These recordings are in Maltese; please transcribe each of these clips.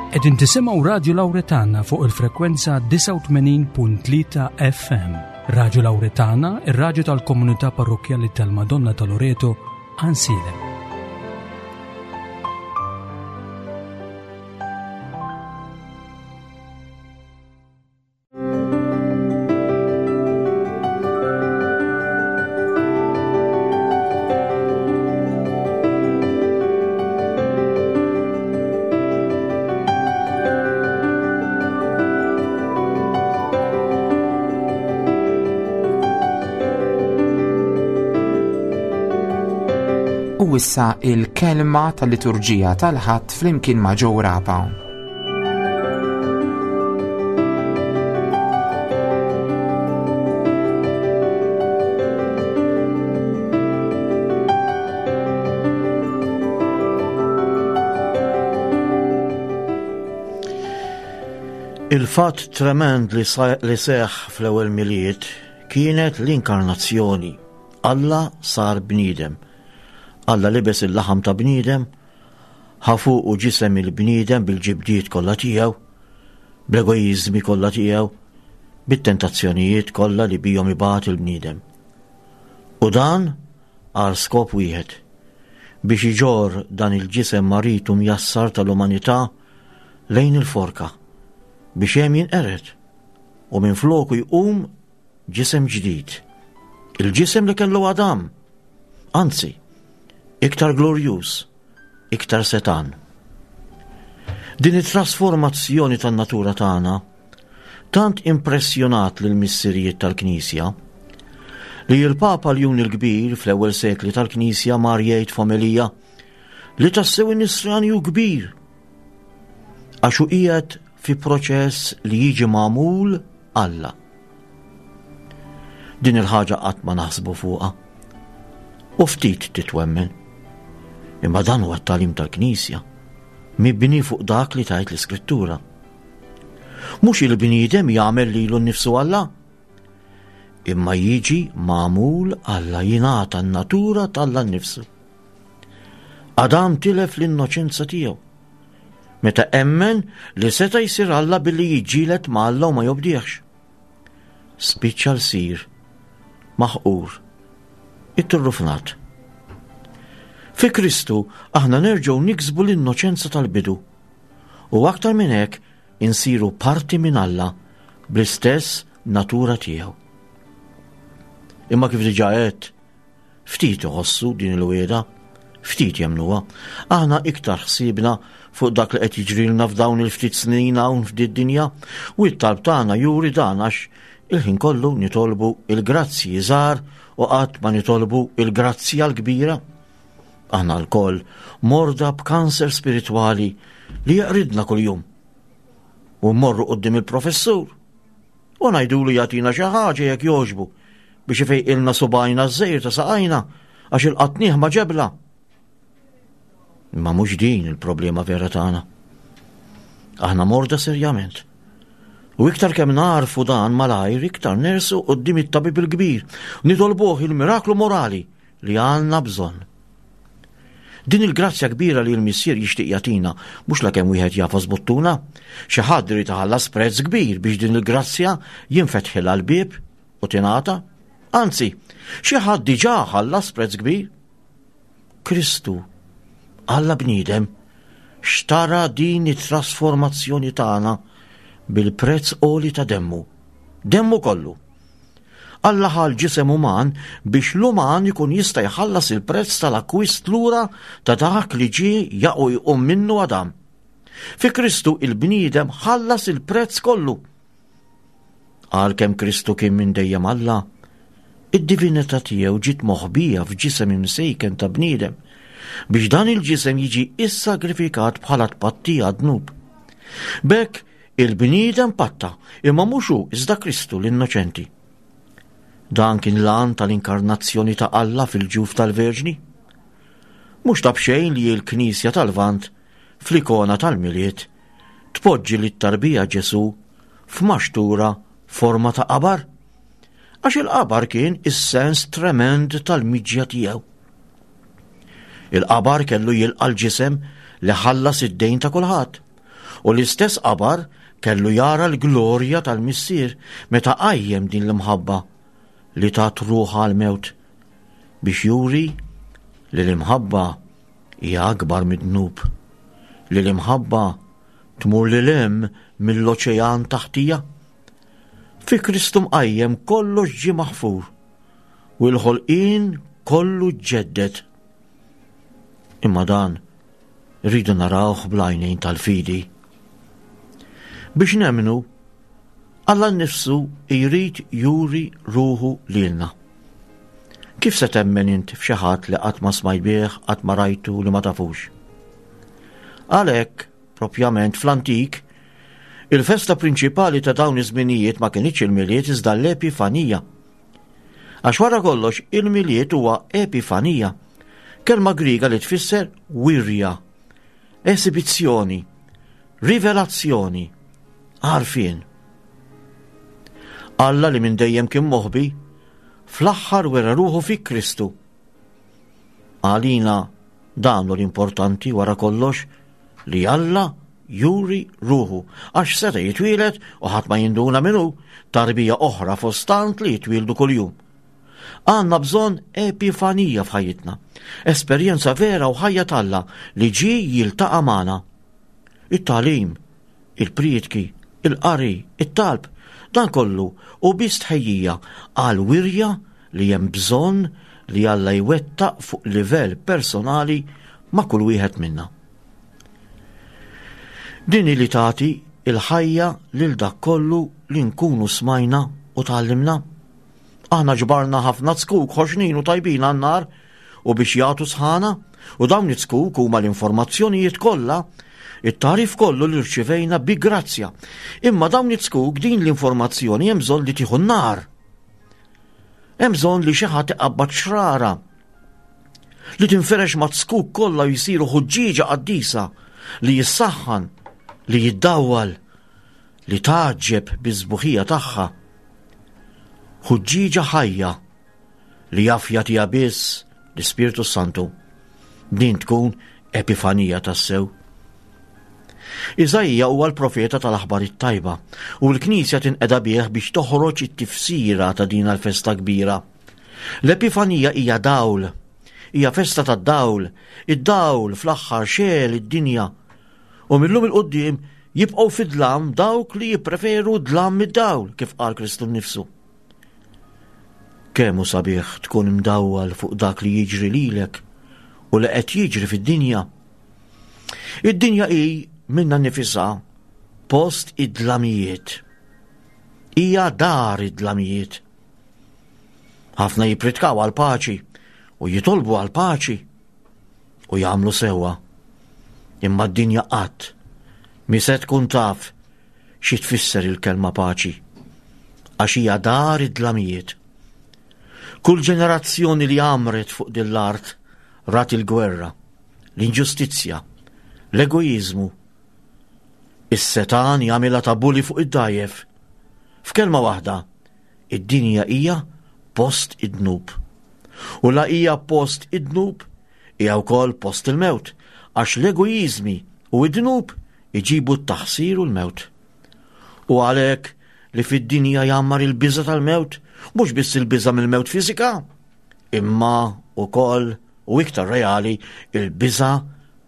Qegħdin tisimgħu Radju Lawretana fuq il-frekwenza 89.3 FM. Radju Lawretana, ir-radju tal-komunità parrokkjali tal-Madonna ta' Loreto, Ansilem. U issa il-kelma tal-liturġija tal-Ħadd flimkien ma' Joe Rapa. Il-fatt tremend li seħ fl-ewwel Milied kienet l-inkarnazzjoni. Alla sar bniedem. Alla libes il-laħam ta' bniedem Ħa fuqu ġisem il-bniedem bil-ġibdiet kollha tiegħu, bl-egoiżmi kollha tiegħu, bit-tentazzjonijiet kollha li bihom ibati l-bniedem. U dan għal skop wieħed, biex iġorr dan il-ġisem marid u mjassar tal-umanità lejn il-forka, biex hemm jinqered u minfloku jqum ġisem ġdid, il-ġisem li kellu Adam, anzi, iktar glorjuż, iktar setgħan. Din it-trasformazzjoni tan-natura tagħna tant impressjonat lil missirijiet tal-Knisja li l-Papa Ljun il-Kbir fl-ewwel sekli tal-Knisja mar jgħid f'omelija li tassew in-nisrani hu kbir għax hu qiegħed fi proċess li jiġi magħmul Alla. Din il-ħaġa qatt ma naħsbu fuqha. U ftit titwemmen. Imma dan huwa t-tagħlim tal-Knisja, mibni fuq dak li tgħid l-Iskrittura. Mhux il-bniedem jagħmel lilu nnifsu Alla, imma jiġi magħmul Alla jingħata n-natura t'Alla nnifsu. Adam tilef l-innoċenza tiegħu. Meta emmen li seta' jsir Alla billi jiġġieled ma' Alla u ma jobdihx. Spiċċa lsir, maħqur, itturrufnat. Fi Kristu aħna nerġgħu niksbu l-innoċenza tal-bidu. U aktar minn hekk insiru parti minn Alla bl-istess natura tiegħu. Imma kif diġà għedt, Ftit iħossu din il-wiegħda, ftit jemmnuha. Aħna iktar ħsiebna fuq dak li qed jiġrilna f'dawn il-ftit snin hawn f'did-dinja u t-talb tagħna juri dan għax il-ħin kollu nitolbu il-grazzji żgħar u qatt ma nitolbu il-grazzja l-kbira. Aħna lkoll morda b'kanser spiritwali li jeqridna kuljum. U mmorru quddiem il-professur U ngħidulu jagħtina xi ħaġa jekk jogħġbu biex ifejqilna subgħajna ż-żejr ta' saqajna għax ilqatnih ma' ġebla. Imma mhux din il-problema vera tagħna. Aħna morda serjament. U iktar kemm narfu dan malajr, iktar nersu qudiem it-tabib il-kbir, nitolbuh il-miraklu morali li għandna bżonn. Din il-grazzja kbira li l-Missier jixtieq jagħtina mhux lakemm wieħed jagħfas buttuna, xi ħadd irid iħallas prezz kbir biex din il-grazzja jinfetħilha l-bieb u tingħata. Anzi, xi ħadd diġà ħallas prezz kbir. Kristu, Alla bniedem, xtara din it-trasformazzjoni tagħna bil-prezz għoli ta' demmu. Demmu kollu. Alla ħa l-ġisem uman biex l-uman ikun jista' jħallas il-prezz tal-akkwist lura ta' dak li ġie jaqu jqum minnu Adam. Fi Kristu il-bniedem ħallas il-prezz kollu. Għalkemm Kristu kien minn dejjem Alla, id-divinità tiegħu ġiet moħbija f'ġisem imsejken ta' bniedem biex dan il-ġisem jiġi issagrifikat bħala tpattija dnub. B'hekk Il-bniedem patta, imma mhux hu iżda Kristu l-innoċenti. Dan kien l-għan tal-inkarnazzjoni ta' Alla fil-ġuf tal-Verġni. Mhux ta' b'xejn li l-Knisja tal-Lvant fl-ikona tal-Milied tpoġġi lit-tarbija Ġesù f'maxtura forma ta' qabar, għax il-qabar kien is-sens tremend tal-miġja tiegħu. Il-qabar kellu jilqa' l-ġisem li ħallas id-dejn ta' kulħadd. U l-istess qabar kellu jara l-glorja tal-Missier meta qajjem din l-imħabba li tat ruħha għall-mewt biex juri li l-imħabba hija akbar mid-dnub, li l-imħabba tmur lil hemm mill-oċean taħtija. Fi Kristu mqajjem kollox ġie maħfur u l-ħolqien kollu ġġedded. Imma dan rridu narawh bl-għajnejn tal-fidi. Biex nemmnu, Alla nnifsu jrid juri ruħu lilna. Kif se temmen int f'xi ħadd li qatt ma smajt bih, qatt ma rajtu li ma tafux? Għalhekk, propjament fl-antik, il-festa prinċipali ta' dawn iż-żminijiet ma kinitx il-Milied iżda l-Epifanija. Għax wara kollox il-Milied huwa epifanija, kelma Griega li tfisser wirja, esibizzjoni, rivelazzjoni, għarfien. Alla li minn dejjem kien moħbi, fl-aħħar wera ruħu fi Kristu. Għalina dan hu l-importanti wara kollox li Alla juri ruħu għax seta' jitwieled u ħadd ma jinduna min hu, tarbija oħra fost tant li jitwieldu kuljum. Għandna bżonn epifanija f'ħajjitna, esperjenza vera u ħajja t'Alla li ġie jiltaqa' magħna. It-tagħlim, il-prietki, il-qari, it-talb, dan kollu hu biss tħejjija għal wirja li hemm bżonn li Alla jwettaq fuq livell personali ma' kull wieħed minna. Din hi li tagħti l-ħajja lil dak kollu li nkunu smajna u tgħallimna. Aħna ġbarna ħafna zkuk ħoxnin u tajbin għan-nar u biex jagħtu sħana u dawn iz-zkuk huma l-informazzjonijiet kollha it-tagħrif kollu li rċivejna bi grazzja. Imma dawn iz-zkuk din l-informazzjoni hemm bżonn li tieħu n-nar. Hemm bżonn li xi ħadd iqabbad xrara li tinferex ma' zkuk kollha u jsiru ħuġġieġa qaddisa li jissaħħan, li jiddawwal, li tgħaġġeb biż-sbuħija tagħha. Ħuġġieġa ħajja li jaf jagħtiha biss l-Ispirtu Santu. Din tkun epifanija tassew. Iżaija huwa l-profeta tal-aħbar it-tajba u l-Knisja tinqeda bih biex toħroġ it-tifsira ta' din l-festa kbira. L-Epifanija hija dawl, hija festa tad-dawl, id-dawl fl-aħħar xegħel id-dinja. U millum il-qudiem jibqgħu fid-dlam dawk li jippreferu dlam mid-dawl, kif qal Kristu nnifsu. Kemm hu sabiħ tkun imdawwal fuq dak li jiġri lilek u li qed jiġri fid-dinja. Id-dinja hi minna nifisha post id-dlamijiet. Hija dar id-dlamijiet. Ħafna jipritkaw għal paċi u jitolbu għal paċi u jagħmlu sewwa. Imma d-dinja qatt mi se tkun taf xi tfisser il-kelma paċi, għax hija dar id-dlamijiet. Kull ġenerazzjoni li għamret fuq din l-art rat il-gwerra, l-inġustizzja, l-egoiżmu. Is-setan jagħmilha ta' buli fuq id-dajjef. F'kelma waħda, id-dinja hija post id-dnub. U la hija post id-dnub, hija wkoll post il-mewt, għax l-egoiżmi u id-dnub iġibu t-taħsir u l-mewt. U għalhekk li fid-dinja jgħammar il-biża' tal-mewt, mhux biss il-biża' mill-mewt fiżika, imma wkoll u iktar reali il-biża'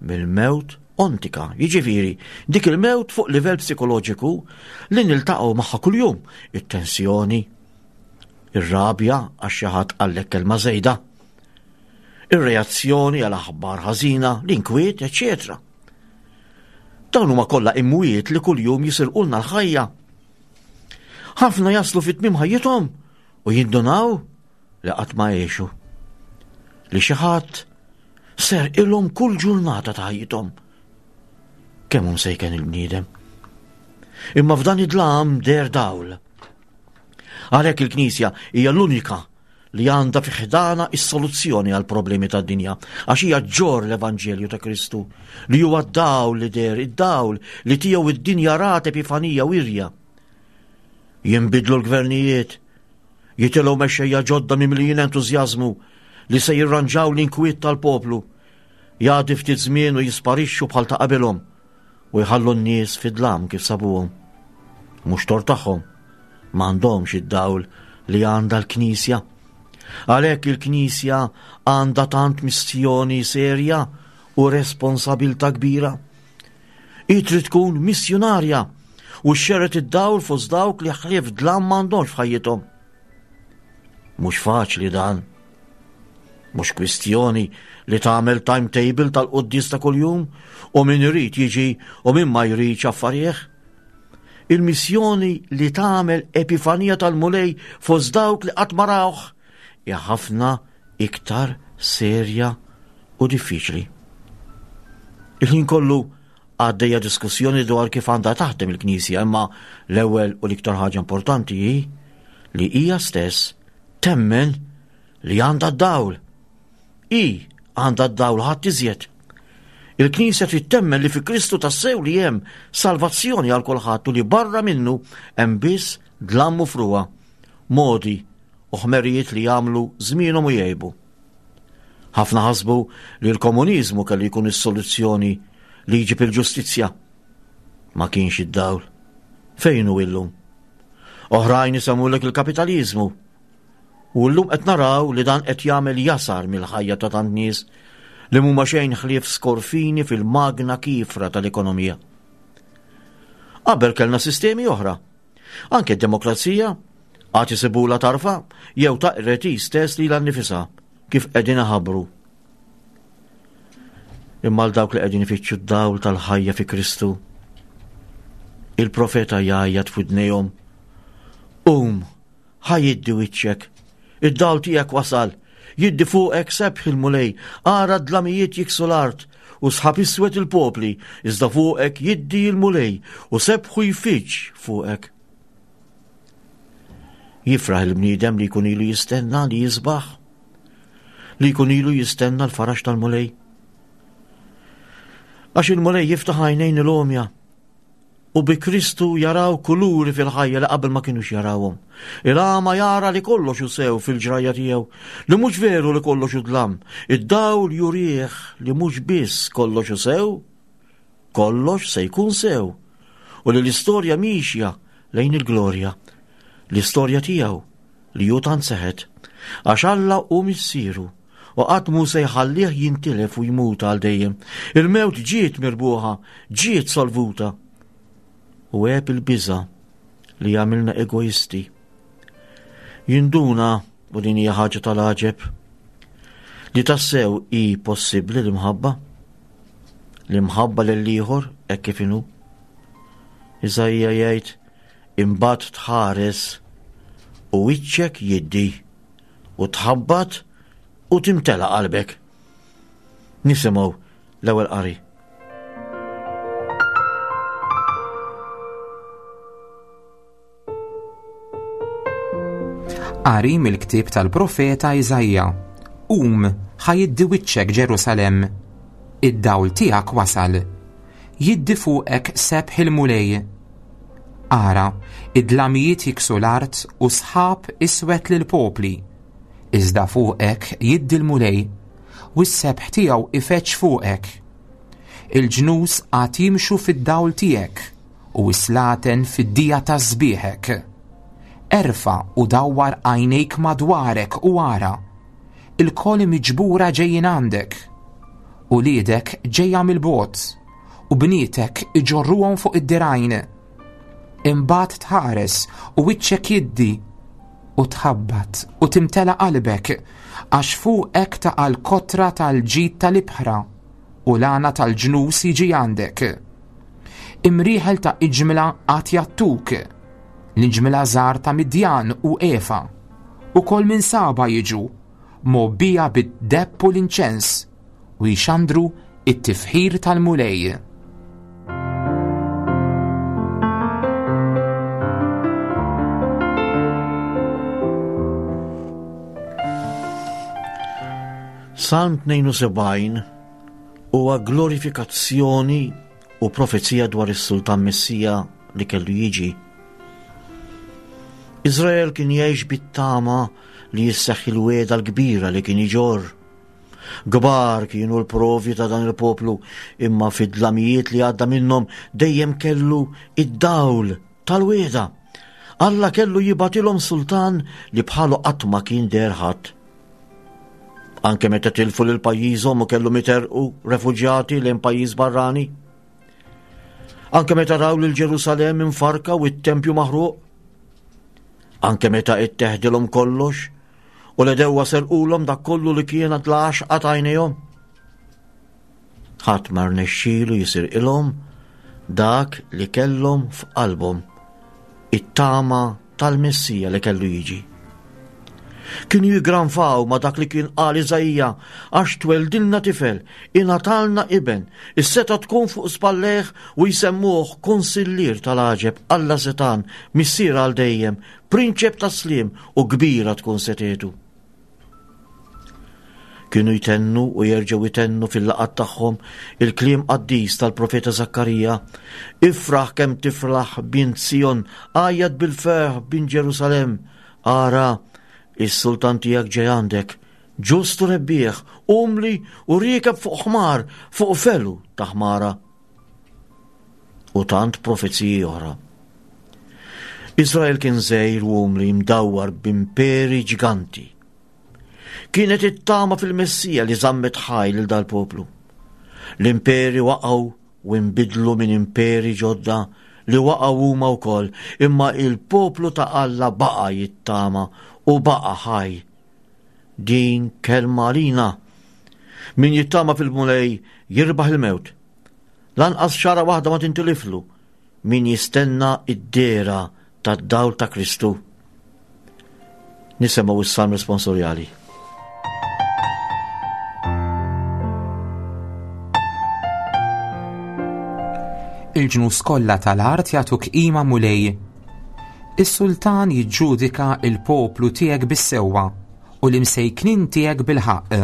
mill-mewt ontika, jiġifieri dik il-mewt fuq livell psikoloġiku li niltaqgħu magħha kuljum, it-tensjoni, ir-rabja għax xi ħadd qallek kelma żejda, ir-reazzjoni għal aħbar ħażina, l-inkwiet, eċċetera. Dawn huma kollha imwiet li kuljum jisirqulna l-ħajja. Ħafna jaslu fit-tmiem ħajjithom u jindunaw li qatt ma għexu. Li xi ħadd ser ilhom kull ġurnata ta' ħajjithom. Kemm hu msejken il-bniedem. Imma f'dan id-dlam der dawl. Għalhekk il-Knisja hija l-unika li għandha fi ħdana is-soluzzjoni għal problemi tad-dinja, għax hija ġġorr l-Evanġelju ta' Kristu, li huwa d-dawl li deher, id-dawl li tiegħu id-dinja rat epifanija wirja. Jinbidlu l-gvernijiet, jitilgħu mexxejja ġodda mimlijin entużjażmu li se jirranġaw l-inkwiet tal-poplu. Jgħaddi ftit żmien u jisparixxu bħal ta' qabilhom. u jħallu n-nies fid-dlam kif sabuhom. Mhux tort tagħhom, m'għandhomx id-dawl li għandha l-Knisja. Għalhekk il-Knisja għandha tant missjoni serja u responsabilta kbira. Hi trid tkun missjunarja u xxerred id-dawl fost dawk li ħlief dlam m'għandhomx f'ħajjithom. Mhux faċli dan. Mhux kwistjoni li tagħmel timetable tal-quddies ta' kuljum u min irid jiġi u min ma jridx affarih. Il-missjoni li tagħmel epifanija tal-Mulej fost dawk li qatt ma rawh hija ħafna iktar serja u diffiċli. Il-ħin kollu għaddejja diskussjoni dwar kif għandha taħdem il-Knisja, imma l-ewwel u l-iktar ħaġa importanti hi li hija stess temmen li għandha d-dawl. Hi għandha d-dawl ħadd iżjed. Il-Knisja trid temmen li fi Kristu tassew li hemm salvazzjoni għal kulħadd u li barra minnu hemm biss dlam u frugħa, modi u ħmerijiet li jagħmlu żmienhom u jgħibu. Ħafna ħasbu li l-komuniżmu kellu jkun is-soluzzjoni li jġib il-ġustizzja. Ma kienx id-dawl. Fejn hu illum? Oħrajn isemmulek il-kapitaliżmu. U llum qed naraw li dan qed jagħmel jasar mill-ħajja ta' tant nies li mhuma xejn ħlief skorfini fil-magna kiefra tal-ekonomija. Qabel kellna sistemi oħra. Anke d-demokrazija għad isibula tarfa jew taqret hi stess lilha nnifisha kif qegħdin iħabbru. Imma għal dawk li qegħdin ifittxu d-dawl tal-ħajja fi Kristu, il-profeta jgħajjat f'widnejhom, Qum, ħa jiddi wiċċek, id-dawl tiegħek wasal, jiddi fuqek sebħ il-Mulej, ara d-dlamijiet jiksu l-art, u sħab iswed il-popli, iżda fuqek jiddi l-Mulej, u sebħu jfiġġ fuqek. Jifraħ il-bniedem li jkun ilu jistenna li jisbaħ, li jkun ilu jistenna l-faraġ tal-Mulej. Għax il-Mulej jiftaħ għajnejn il-għomja u bi Kristu jaraw kuluri fil-ħajja li qabel ma kienux jarawhom. Il-għama jara li kollox hu sew fil-ġrajja tiegħu, li mhux veru li kollox hu dlam. Id-dawl jurih li mhux biss kollox hu sew, kollox se jkun sew u li l-istorja miexja lejn il-glorja, l-istorja tiegħu li hu tant seħet, għax Alla hu missieru u qatt mhu se jħallih jintilef u jmut għal dejjem. Il-mewt ġiet mirbuħa, ġiet solvuta. U għeb il-biża li jagħmilna egoisti. Jinduna, u din hija ħaġa tal-għaġeb, li tassew hi possibbli l-imħabba. L-imħabba lill-ieħor hekk kif inhu. Iżaija jgħid imbagħad tħares u wiċċek jiddi u tħabbat u timtela qalbek. Nisimgħu l-ewwel qari. Qari mill-ktieb tal-profeta Iżaija. Qum, ħa jiddi wiċċek Ġerusalemm. Id-dawl tiegħek wasal. Jiddi fuqek sebħ il-Mulej. Ara, id-dlamijiet jiksu l-art u sħab iswed lill-popli. Iżda fuqek jiddi l-Mulej, u s-sebħ tiegħu ifeġġ fuqek. Il-ġnus għad jimxu fid-dawl tiegħek u s-slaten fid-dija ta' sbieħek. Erfa' u dawwar għajnejk madwarek u ara, ilkoll miġbura ġejjin għandek. Uliedek ġejja mill-bogħod, u bnietek iġorruhom fuq id-dirgħajn. Imbagħad tħares u wiċċek jiddi u tħabbat u timtela qalbek għax fuqek taqa' l-kotra tal-ġid tal-ibħra u l-għana tal-ġnus jiġi għandek. Imrieħel ta' iġmla għad jattuk, l-iġmla żgħar ta' Midjan u Efa, ukoll minn Saba jiġu, mgħobbija bid-deheb u l-inċens, u jxandru it-tifħir tal-Mulej. Salm 72 huwa glorifikazzjoni u profezija dwar is-Sultan Messija li kellu jiġi. Izrael kien jgħix bit-tama li jisseħħ il-wegħda l-kbira li kien iġorr. Kbar kienu l-provi ta' dan il-poplu, imma fid-dlamijiet li għadda minnhom dejjem kellu id-dawl tal-wieda. Alla kellu jibatilhom sultan li bħalu qatt ma kien deher ħadd. Anke meta tilfu lil pajjiżhom u kellhom iterqu refuġjati lejn pajjiż barrani. Anke meta raw lil Ġerusalemm infarka u t-tempju maħruq. Anke meta itteħdilhom kollox u l-edewwa serqulhom dak kollu li kien għad l-għaxqa t'għajnejhom. Ħadd ma rnexxielu jisirqilhom dak li kellhom f'qalbhom, it-tama tal-Messija li kellu jiġi. Kienu jigranfaw ma dak li kien qal Iżaija għax tweldilna tifel, ingħatalna iben, is-seta tkun fuq spallejh u jsemmuh konsillier tal-għaġeb, Alla setan, missier għal dejjem, prinċep tas-sliem u kbira tkun setgħetu. Kienu jtennu u jerġgħu jtennu fil-laqgħat tagħhom il-kliem qaddis tal-profeta Zakkarija, Ifraħ kemm tifraħ bint Sijon, għajjat bil-ferħ bint Ġerusalemm, ara, is-sultan tiegħek ġej għandek, ġust u rebbieħ, umli u riekeb fuq ħmar, fuq felu ta' ħmara. U tant profeziji oħra. Izrael kien żgħir u umli mdawwar b'imperi ġiganti. Kienet it-tama fil-Messija li żammet ħaj lil dal-poplu. L-imperi waqgħu u nbidlu minn imperi ġodda li waqgħu huma wkoll, imma il-poplu ta' Alla baqa' jittama u baqa' ħaj. Din kelma għalina. Min jittama fil-Mulej jirbaħ il-mewt. Lanqas xara waħda ma tintiliflu min jistenna id-dehra tad-dawl ta' Kristu. Nisimgħu s-salm responsorjali. Il-ġnus kollha tal-art jagħtuk qima Mulej. Is-sultan jiġġudika il-poplu tiegħek bis-sewwa u l-imsejknin tiegħek bil-ħaqq.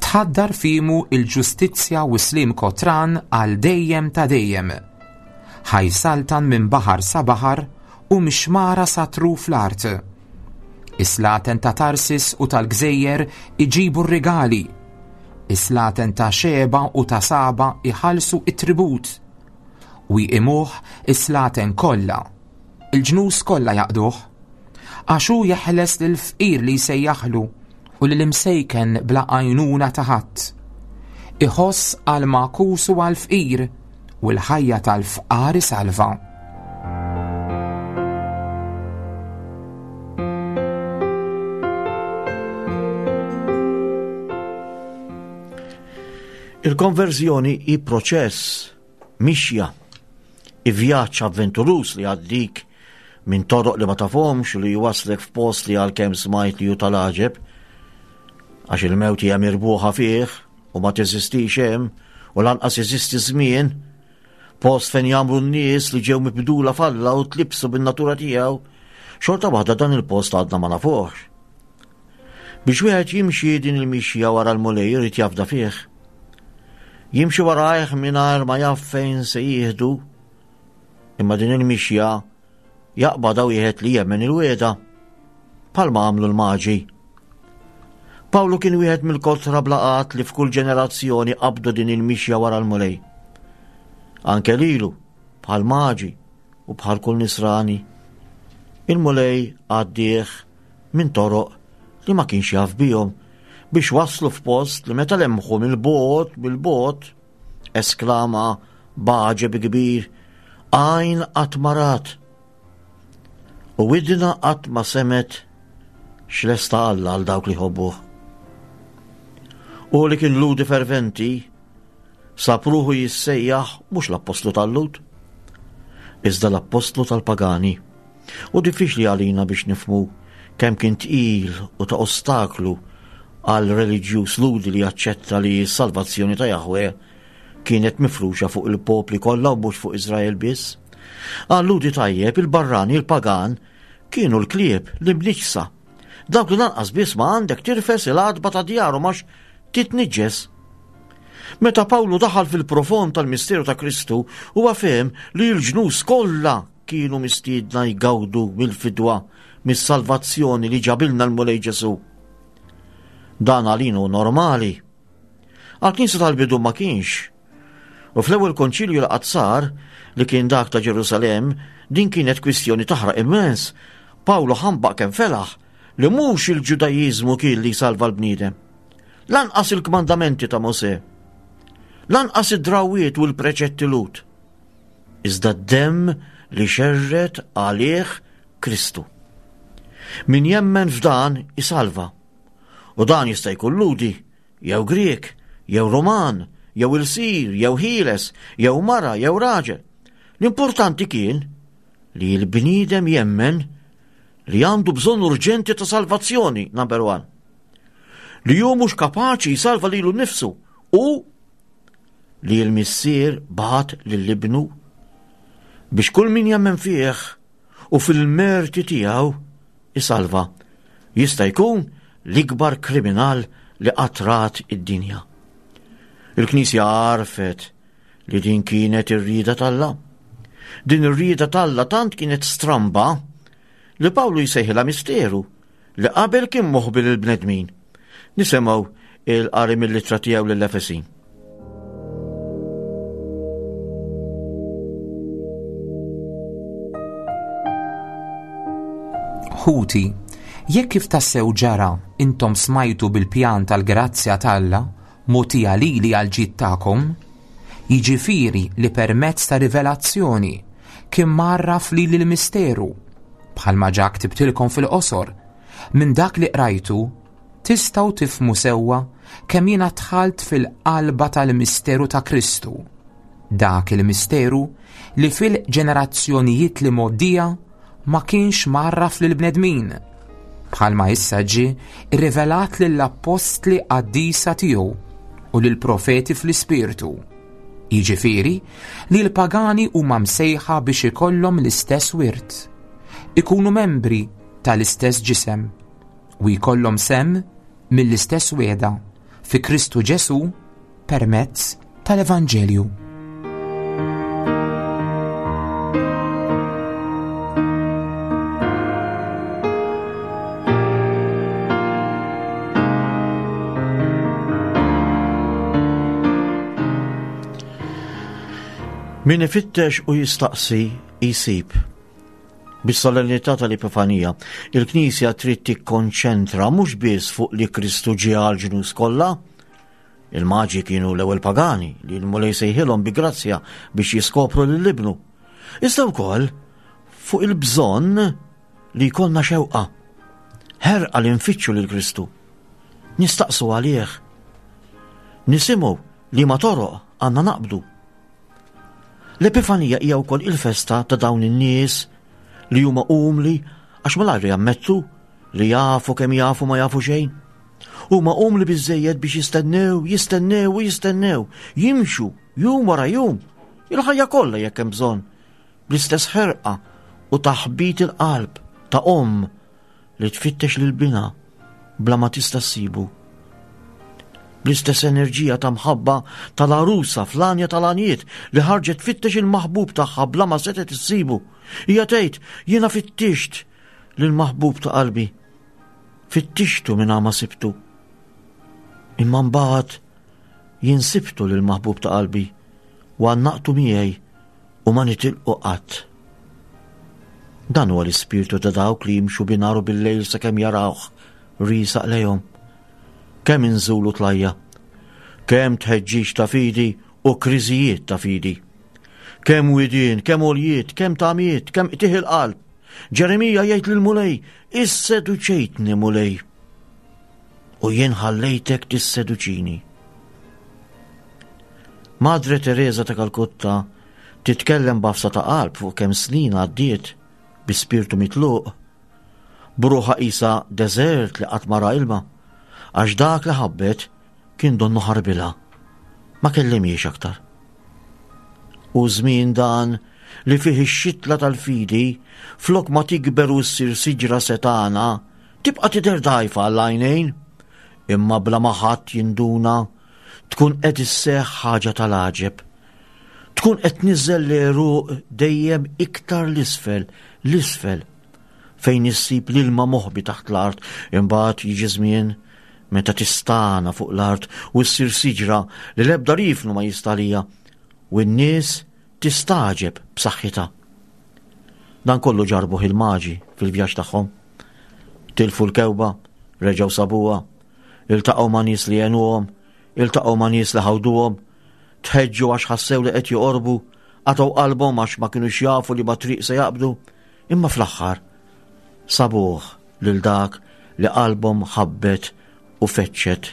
Tħaddar fimu il-ġustizzja u slim kotran għal dejjem ta' dejjem. Ħa jsaltan minn baħar sa baħar u mix-xmara sa truf l-art. Is-slaten ta' Tarsis u tal-gżejjer iġibu r-rigali. Is-slaten ta' Xeba u ta' Saba iħallsu it-tribut. U jqimuh is-slaten kollha. Il-ġnus kollha jaqduh. Għax hu jeħles lill-fqir li jsejjaħlu u lill-imsejken bla għajnuna ta' ħadd. Iħoss għal magħkus u għal fqir u l-ħajja tal-fqar isalva. Il-konverżjoni hi proċess, mixja, i vjaġġ avventuruż li għaddik minn toroq li ma tafhomx u li jwasslek f'post li għalkemm smajt li hu tal-għaġeb, għax il-mewt hija mirbuħa fih u ma teżistix hemm u lanqas jeżisti żmien, post fejn jagħmlu n-nies li ġew mibdula f'Alla u tlibsu bin-natura tiegħu, xorta waħda dan il-post għadna ma nafuhx. Biex wieħed jimxi din il-mixja wara l-Mulej irid jafda fih. Jimxi warajh mingħajr ma jaf fejn se jieħdu Imma din il-mixja jaqbadha wieħed li jemmen il-wieda, bħalma għamlu l-maġi. Pawlu kien wieħed mill-kotra blaqat li f'kull ġenerazzjoni qabdu din il-mixja wara l-Mulej. Anke lilu, bħal maġi u bħal kull nisrani, il-Mulej għaddieħ minn toroq li ma kienx jaf bihom biex waslu f'post li meta lemħu mill-bogħod bil-bogħod Esklama b'għaġeb kbir, Għajn qatt ma rat u widna qatt ma semgħet x'lesta Alla għal dawk li jħobbuh. U li kien ludi ferventi, sab ruħu jissejjaħ mhux l-appostlu tal-Lud, iżda l-appostlu tal-pagani. U diffiċli għalina biex nifmu kemm kien tqil u ta' ostaklu għal reliġjuż Lhudi li jaċċetta li s-salvazzjoni ta' Jahwe kienet mifruxa fuq il-popli kollha u mhux fuq Iżrael biss. Għal Lhudi tajjeb, il-barrani, il-pagan, kienu l-klieb, l-imniġsa. Dawk li lanqas biss ma għandek tirfes il-għatba ta' djarhom għax titniġġes. Meta Pawlu daħal fil-profond tal-misteru ta' Kristu, huwa fehem li l-ġnus kollha kienu mistiedna jgawdu mill-fidwa, mis-salvazzjoni li ġabilna l-Mulej Ġesù. Dan għalina hu normali. Għall-Knisja tal-bidu ma kienx. U fl-ewwel konċilju li qatt sar, li kien dak ta' Ġerusalemm, din kienet kwistjoni taħraq immens. Pawlu ħambaq kemm felaħ li mhux il-Ġudajiżmu kien li jsalva l-bniedem. Lanqas il-kmandamenti ta' Mosè. Lanqas id-drawwiet u l-preċetti Lhud. Iżda d-demm li xerred għalih Kristu. Min jemmen f'dan isalva. U dan jista' jkun Lhudi, jew Grieg, jew Ruman, jew ilsir, jew ħieles, jew mara, jew raġel. L-importanti kien li l-bniedem jemmen li għandu bżonn urġenti ta' salvazzjoni, number one. Li hu mhux kapaċi jsalva lilu nnifsu u li l-Missier bagħat lil Ibnu biex kull min jemmen fih u fil-merti tiegħu isalva. Jista' jkun l-ikbar kriminal li qatt rat id-dinja. Il-Knisja għarfet li din kienet ir-rieda t'Alla. Din ir-rieda t'Alla tant kienet stramba li Pawlu jsejħilha misteru li qabel kien moħbi lill-bnedmin. Nisimgħu il-qari mill-ittra tiegħu lill-Efesin. Ħuti, jekk kif tassew ġara intom smajtu bil-pjan tal-grazzja t'Alla mogħtija lili għall-ġid tagħkom, jiġifieri li permezz ta' rivelazzjoni kien mgħarraf lili l-misteru, bħalma ġa ktibtilkom fil-qosor, minn dak li qrajtu tistgħu tifhmu sewwa kemm jiena dħalt fil-qalba tal-misteru ta' Kristu, dak il-misteru li fil-ġenerazzjonijiet li mgħoddija ma kienx mgħarraf lill-bnedmin, bħalma issa ġie rrivelat lill-appostli qaddisa tiegħu u lill-profeti fl-ispirtu. Jiġifieri li l-pagani huma msejħa biex ikollhom l-istess wirt, ikunu membri tal-istess ġisem u jkollhom sehem mill-istess wegħda fi Kristu Ġesù permezz tal-Evanġelju. Min ifittex u jistaqsi jsib. Bis-solennità tal-Epifanija, il-Knisja trid tikkonċentra mhux biss fuq li Kristu ġie għall-ġnus kollha, Il-Maġi kienu l-ewwel pagani li l-Mulej sejħilhom bi grazzja biex jiskopru lil ibnu. Iżda wkoll fuq il-bżonn li jkollna xewqa. Ħerqa li nfittxu lil Kristu. Nistaqsu għalih. Nisimgħu li ma toroq għandna naqbdu. L-Epifanija hija wkoll il-festa ta' dawn in-nies li huma umli għax malajr jammettu li jafu kemm jafu ma jafu xejn. Huma umli biżejjed biex jistennew, jistennew u jistennew, jimxu jum wara jum, il-ħajja kollha jekk hemm bżonn, bl-istess ħerqa u taħbit il-qalb ta' omm li tfittex lil binha bla ma tista' ssibu. Bl-istess enerġija ta' mħabba tal-għarusa fl-għanja tal-għanjiet li ħarġet tfittex il-maħbub tagħha bla ma setgħet issibu. Hija tgħid, jiena fittixt lill-maħbub ta' qalbi. Fittixtu minn ma sibtu. Imma mbagħad jien sibtu lil maħbub ta' qalbi u għannaqtu miegħi u ma nitilqu qatt. Dan huwa l-ispirtu ta' dawk li jimxu binar u bil-lejl sakemm jarawh riesaq lejhom. Kemm inżulu tlajja, kemm tħeġġiġ ta' fidi u kriżijiet ta' fidi. Kemm widien, kemm għoljiet, kemm tamiet, kemm qtigħ il-qalb. Ġeremija jgħid lill-Mulej, Isseduċejtni, Mulej, u jien ħallejtek tisseduċini. Madre Teresa ta' Kalkutta titkellem b'għafsa ta' qalb fuq kemm snin għaddiet bi spirtu mitluq, b'ruħha qisha deżert li qatt ma ra ilma, għax dak li ħabbet kien donnu ħarbilha. Ma kellimhiex aktar. Hu żmien dan li fih ix-xitla tal-fidi, flok ma tikber u ssir siġra setgħana, tibqa' tidher dgħajfa għall-għajnejn, imma bla ma ħadd jinduna tkun qed isseħħ ħaġa tal-għaġeb. Tkun qed tniżżel l-għeruq dejjem iktar l-isfel, l-isfel, fejn issib l-ilma moħbi taħt l-art, imbagħad jiġi żmien. meta tistana fuq l-art u ssir siġra li l-ebda rifnu ma jista' għaliha u n-nies tistagħġeb b'saħħitha. Dan kollu ġarbuh il-maġi fil-vjaġġ tagħhom. Tilfu l-kewba, reġgħu sabuha, iltaqgħu ma' nies li għenuhom, iltaqgħu ma' nies li ħawduhom, tħeġġu għax ħassew li qed joqorbu, qatgħu qalbhom għax ma kinux jafu li ma triq se jaqbdu, imma fl-aħħar sabuh lil dak li qalbhom ħabbet u feċċet.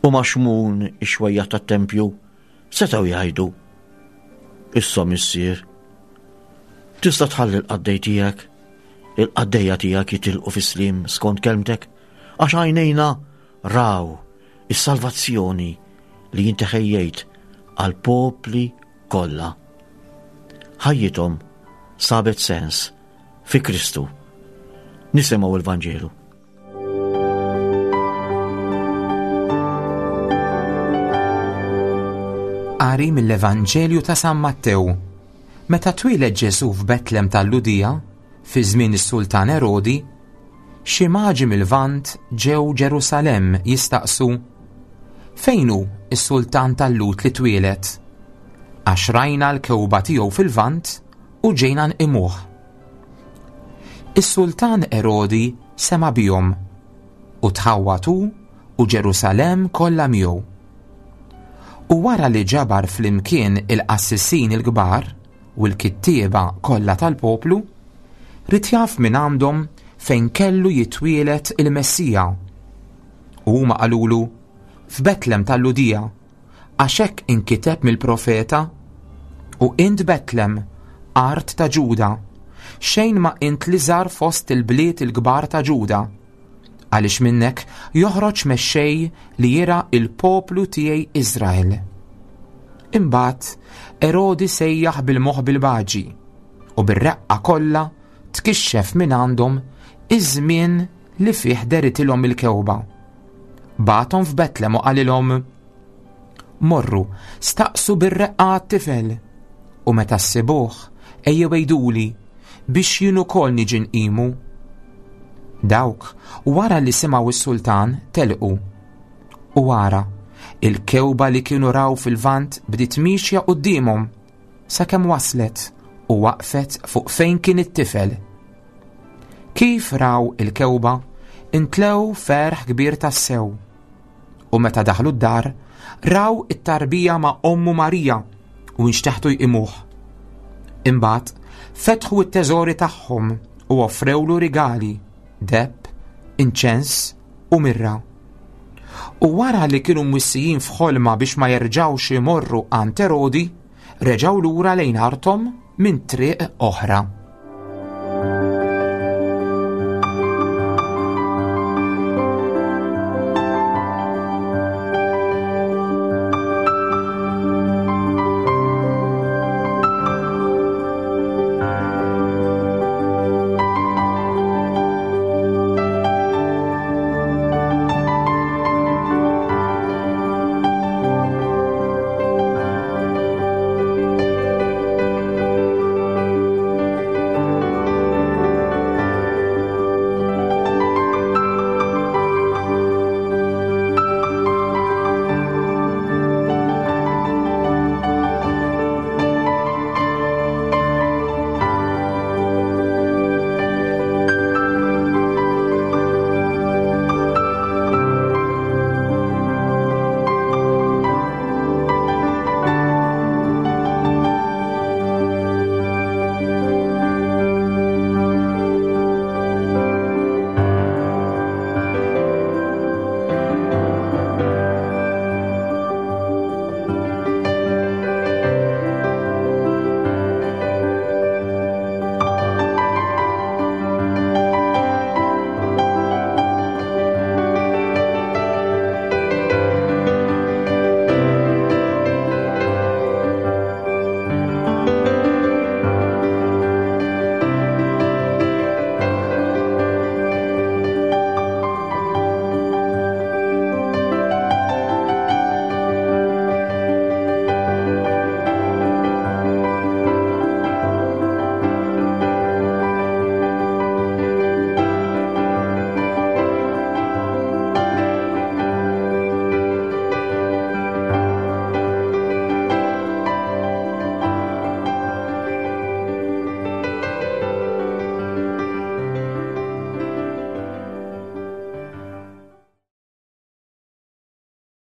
U ma' Xmun ix-xwejjaħ tat-tempju setgħu jgħidu, Issa missier, tista' tħalli l-qaddej tiegħek, il-qaddejja tiegħek jitilqu fis-sliem skont kelmtek, għax għajnejna raw is-salvazzjoni li inti ħejjejt għall-popli kollha. Ħajjithom sabet sens fi Kristu. Nisimgħu l-Vanġelu. Qari mill-Evanġelju ta' San Mattew. Meta twieled Ġesù f'Betlem tal-Ludija, fi żmien is-Sultan Erodi, xi maġi mill-Lvant ġew Ġerusalemm jistaqsu, Fejn hu s-sultan tal-Lhud li twieled? Għax rajna l-kewba tiegħu fil-Lvant u ġejna nqimuh. Is-sultan Erodi sema' bihom u tħawwad hu u Ġerusalemm kollha miegħu. U wara li ġabar flimkien il-qassisin il-kbar u l-kittieba kollha tal-poplu, ried jaf minn għandhom fejn kellu jitwieled il-Messija. U huma qalulu, F'Betlem tal-Ludija, Għax hekk inkiteb mill-profeta, U int Betlem, art ta' Ġuda, xejn ma int l-iżgħar fost il-bliet il-kbar ta' Ġuda, għaliex minnek joħroġ mexxej li jirgħa il-poplu tiegħi Iżrael. Imbagħad Erodi sejjaħ bil-moħħ bil-baġi, u bir-reqqa kollha tkixxef minn għandhom iż-żmien li fih deritilhom il-kewba. Bagħathom f'Betlem u qalilhom, Morru, staqsu bir-reqqa għat-tifel, u meta ssibuh, ejjew għiduli, biex jien ukoll niġi nqimu. Dawk, wara li simgħu s-sultan, telqu. U ara, il-kewba li kienu raw fil-Lvant bdiet miexja quddiemhom, sakemm waslet u waqfet fuq fejn kien it-tifel. Kif raw il-kewba, intlew ferħ kbir tassew. U meta daħlu d-dar, raw it-tarbija ma' ommu Marija u nxteħtu jqimuh. Imbagħad fetħu t-teżori tagħhom u offrewlu rigali, deheb, inċens u mirra. U wara li kienu mwissijin f'ħolma biex ma jerġgħux imorru għand Erodi, reġgħu lura lejn arthom minn triq oħra.